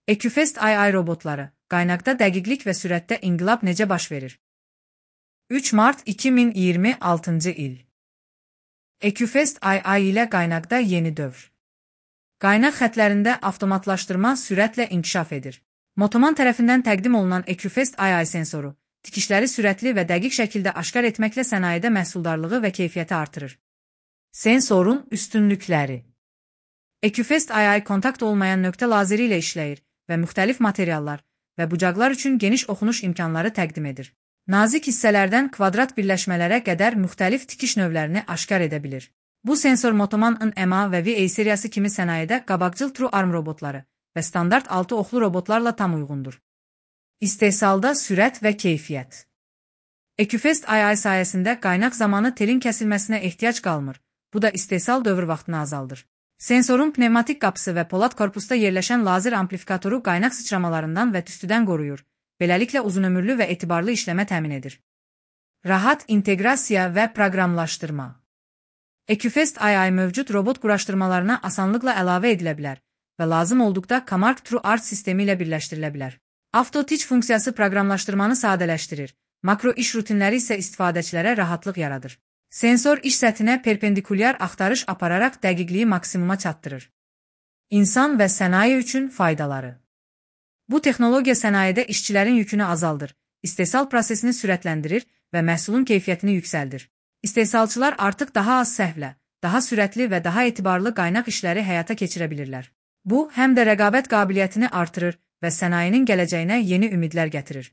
EQFest AI robotları, qaynaqda dəqiqlik və sürətdə inqilab necə baş verir? 3 mart 2026 il. EQFest AI ilə qaynaqda yeni dövr. Qaynaq xətlərində avtomatlaşdırma sürətlə inkişaf edir. Motoman tərəfindən təqdim olunan EQFest AI sensoru, tikişləri sürətli və dəqiq şəkildə aşkar etməklə sənayedə məhsuldarlığı və keyfiyyəti artırır. Sensorun üstünlükləri. EQFest AI kontakt olmayan nöqtə lazeri ilə işləyir və müxtəlif materiallar və bucaqlar üçün geniş oxunuş imkanları təqdim edir. Nazik hissələrdən kvadrat birləşmələrə qədər müxtəlif tikiş növlərini aşkar edə bilir. Bu sensor Motoman NMA və VA seriyası kimi sənayedə qabaqcıl True Arm robotları və standart 6 oxlu robotlarla tam uyğundur. İstehsalda sürət və keyfiyyət. EQFest AI sayəsində qaynaq zamanı telin kəsilməsinə ehtiyac qalmır. Bu da istehsal dövr vaxtını azaldır. Sensorun pnevmatik qapısı və polad korpusda yerləşən lazer amplifikatoru qaynaq sıçramalarından və tüstüdən qoruyur. Beləliklə uzunömürlü və etibarlı işləmə təmin edir. Rahat inteqrasiya və proqramlaşdırma. EQFest AI mövcud robot quraşdırmalarına asanlıqla əlavə edilə bilər və lazım olduqda Comarch TrueArt sistemi ilə birləşdirilə bilər. Auto Teach funksiyası proqramlaşdırmanı sadələşdirir, makro iş rutinləri isə istifadəçilərə rahatlıq yaradır. Sensor iş səthinə perpendikulyar axtarış apararaq dəqiqliyi maksimuma çatdırır. İnsan və sənaye üçün faydaları. Bu texnologiya sənayedə işçilərin yükünü azaldır, istehsal prosesini sürətləndirir və məhsulun keyfiyyətini yüksəldir. İstehsalçılar artıq daha az səhvlə, daha sürətli və daha etibarlı qaynaq işləri həyata keçirə bilirlər. Bu, həm də rəqabət qabiliyyətini artırır və sənayenin gələcəyinə yeni ümidlər gətirir.